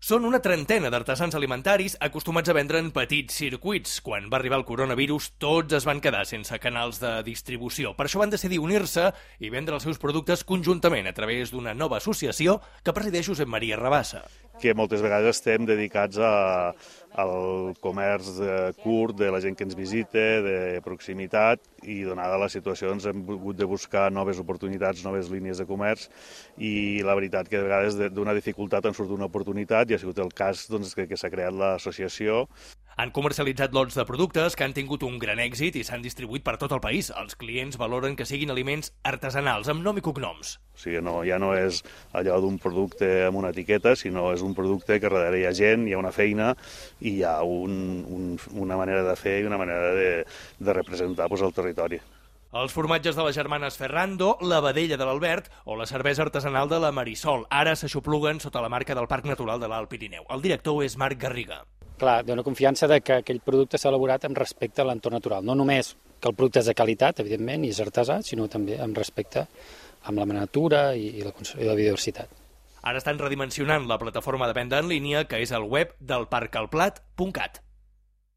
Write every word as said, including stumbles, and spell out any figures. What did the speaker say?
Són una trentena d'artesans alimentaris acostumats a vendre en petits circuits. Quan va arribar el coronavirus, tots es van quedar sense canals de distribució. Per això van decidir unir-se i vendre els seus productes conjuntament a través d'una nova associació que presideix Josep Maria Rabassa. Que moltes vegades estem dedicats a, al comerç de, curt, de la gent que ens visita, de proximitat, i donada la situació ens hem hagut de buscar noves oportunitats, noves línies de comerç, i la veritat que de vegades d'una dificultat en surt una oportunitat, i ha sigut el cas doncs, que, que s'ha creat l'associació. Han comercialitzat lots de productes que han tingut un gran èxit i s'han distribuït per tot el país. Els clients valoren que siguin aliments artesanals, amb nom i cognoms. O sigui, no, ja no és allò d'un producte amb una etiqueta, sinó és un producte que darrere hi ha gent, hi ha una feina i hi ha un, un, una manera de fer i una manera de, de representar doncs, el territori. Els formatges de les germanes Ferrando, la vedella de l'Albert o la cervesa artesanal de la Marisol ara s'aixopluguen sota la marca del Parc Natural de l'Alt Pirineu. El director és Marc Garriga. Clar, dona confiança de que aquell producte s'ha elaborat amb respecte a l'entorn natural. No només que el producte és de qualitat, evidentment, i és artesà, sinó també amb respecte amb la natura i la, i la biodiversitat. Ara estan redimensionant la plataforma de venda en línia, que és el web del parc al plat punt cat.